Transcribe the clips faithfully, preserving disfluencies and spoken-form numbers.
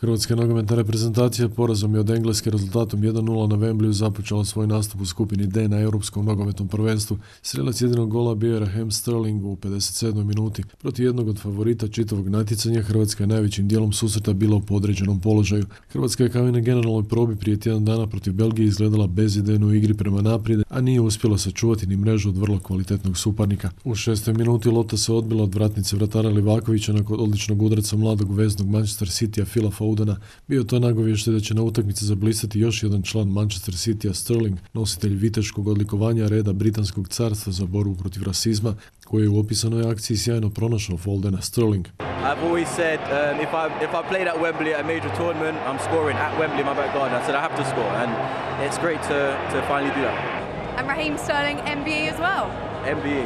Hrvatska nogometna reprezentacija porazom je od Engleske rezultatom jedan nula na Wembleyu započela svoj nastup u skupini D na Europskom nogometnom prvenstvu. Strelac jedinog gola bio je Raheem Sterling u pedeset sedmoj minuti. Protiv jednog od favorita čitavog natjecanja Hrvatska je najvećim dijelom susreta bila u podređenom položaju. Hrvatska je kao i na generalnoj probi prije tjedan dana protiv Belgije izgledala bezidejno u igri prema naprijed, a nije uspjela sačuvati ni mrežu od vrlo kvalitetnog suparnika. U šestoj minuti lopta se odbila od vratnice vratara Livakovića nakon odličnog udarca mladog veznog Manchester Citya Phila Fodena. Bio to nagovještaj da će na utakmici zablistati još jedan član Manchester Citya, Sterling, nositelj viteškog odlikovanja reda Britanskog carstva za borbu protiv rasizma, koji je u opisanoj akciji sjajno pronašao Fodena. Sterling: I've always said um, if I if I played at Wembley at a major tournament, I'm scoring at Wembley in my back garden. I said I have to score, and it's great to to finally do that. And Raheem Sterling M V E as well. M V E.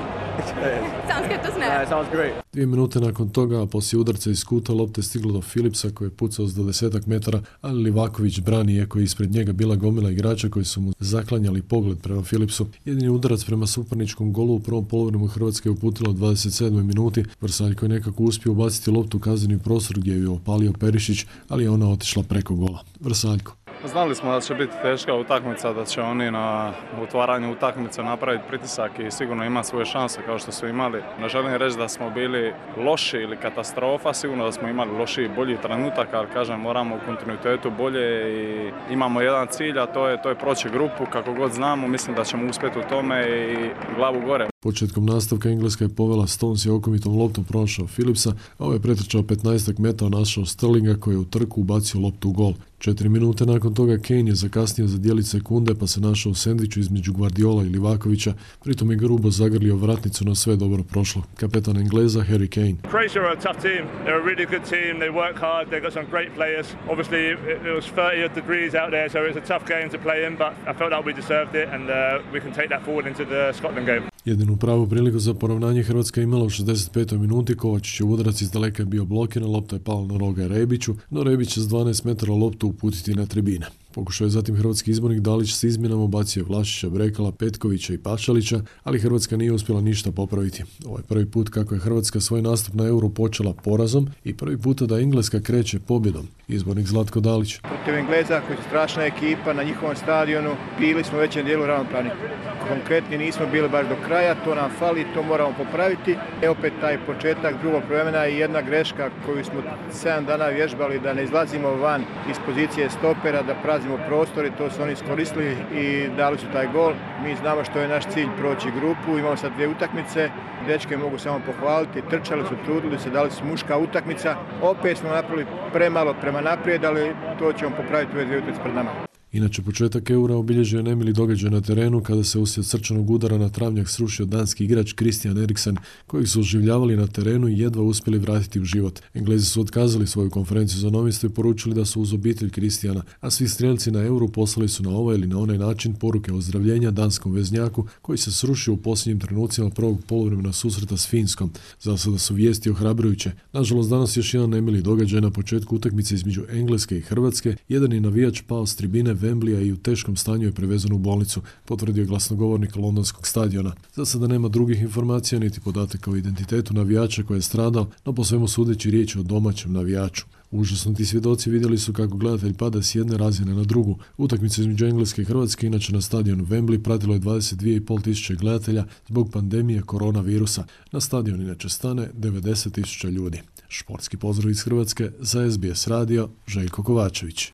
Sounds good, doesn't it? Yeah, it sounds great. Dvije minute nakon toga, a poslije udarca iz kuta, lopta je stigla do Philipsa koji je pucao s dvadesetak metara, ali Livaković brani, iako je ispred njega bila gomila igrača koji su mu zaklanjali pogled prema Philipsu. Jedini udarac prema suparničkom golu u prvom poluvremenu Hrvatske je uputila u dvadeset sedmoj minuti. Vrsaljko je nekako uspio ubaciti loptu u kazneni prostor gdje ju je opalio Perišić, ali je ona otišla preko gola. Vrsaljko: Znali smo da će biti teška utakmica, da će oni na otvaranju utakmice napraviti pritisak i sigurno ima svoje šanse kao što su imali. Ne želim reći da smo bili loši ili katastrofa, sigurno da smo imali loši i bolji trenutak, ali kažem, moramo u kontinuitetu bolje i imamo jedan cilj, a to je, to je proći grupu kako god znamo. Mislim da ćemo uspjeti u tome i glavu gore. Početkom nastavka Engleska je povela, Stones je okomitom loptom pronašao Philipsa, a ovaj je pretrčao petnaestak metara, našao Sterlinga koji je u trku ubacio loptu u gol. Četiri minute nakon toga Kane je zakasnio za dijelić sekunde pa se našao u sendviču između Guardiola i Livakovića, pritom je grubo zagrlio vratnicu, no sve dobro prošlo. Kapetan Engleza Harry Kane: Croatia are a tough team. They're a really good team. They work hard. They've got some great players. Obviously it was thirty degrees out there, so it's a tough game to play in, but I felt like we deserved it and uh, we can take that forward into the Scotland game. Jedinu pravu priliku za poravnanje Hrvatska je imala u šezdeset petoj minuti. Kovačićev udarac iz daleka je bio blokiran, lopta je pala na roga Rebiću, no Rebić s dvanaest metara loptu uputiti na tribine. Pokušao je zatim hrvatski izbornik Dalić s izmjenama, bacio Vlašića, Brekala, Petkovića i Pašalića, ali Hrvatska nije uspjela ništa popraviti. Ovo je prvi put kako je Hrvatska svoj nastup na Euro počela porazom i prvi puta da Engleska kreće pobjedom. Izbornik Zlatko Dalić: Protiv Engleza koji su strašna ekipa na njihovom stadionu, bili smo u većem dijelu ravnopravni. Konkretni nismo bili baš do kraja, to nam fali, to moramo popraviti. E opet taj početak drugog vremena i jedna greška koju smo sedam dana vježbali, da ne izlazimo van iz pozicije stopera, da prazimo prostor, i to su oni iskoristili i dali su taj gol. Mi znamo što je naš cilj, proći grupu, imamo sad dvije utakmice, dečke mogu samo pohvaliti, trčali su, trudili se, dali su muška utakmica. Opet smo napravili premalo prema naprijed, ali to ćemo popraviti ove dvije utakmice pred nama. Inače, početak Eura obilježio je nemili događaj na terenu kada se uslijed srčanog udara na travnjak srušio danski igrač Christian Eriksen, kojeg su oživljavali na terenu i jedva uspjeli vratiti u život. Englezi su otkazali svoju konferenciju za novinstvo i poručili da su uz obitelj Christiana, a svi strijelci na Euru poslali su na ovaj ili na onaj način poruke ozdravljenja danskom veznjaku koji se srušio u posljednjim trenucima prvog poluvremena susreta s Finskom. Za sada su vijesti ohrabrujuće. Nažalost, danas još jedan nemili događaj na početku utakmice između Engleske i Hrvatske. Jedan je navijač pao s tribine Wembleya i u teškom stanju je prevezen u bolnicu, potvrdio je glasnogovornik londonskog stadiona. Za sada nema drugih informacija niti podataka o identitetu navijača koji je stradao, no po svemu sudeći riječ je o domaćem navijaču. Užasnuti svjedoci vidjeli su kako gledatelj pada s jedne razine na drugu. Utakmicu između Engleske i Hrvatske inače na stadionu Wembley pratilo je dvadeset dvije i pol tisuće gledatelja zbog pandemije koronavirusa. Na stadion inače stane devedeset tisuća ljudi. Športski pozdrav iz Hrvatske za S B S radio, Željko Kovačević.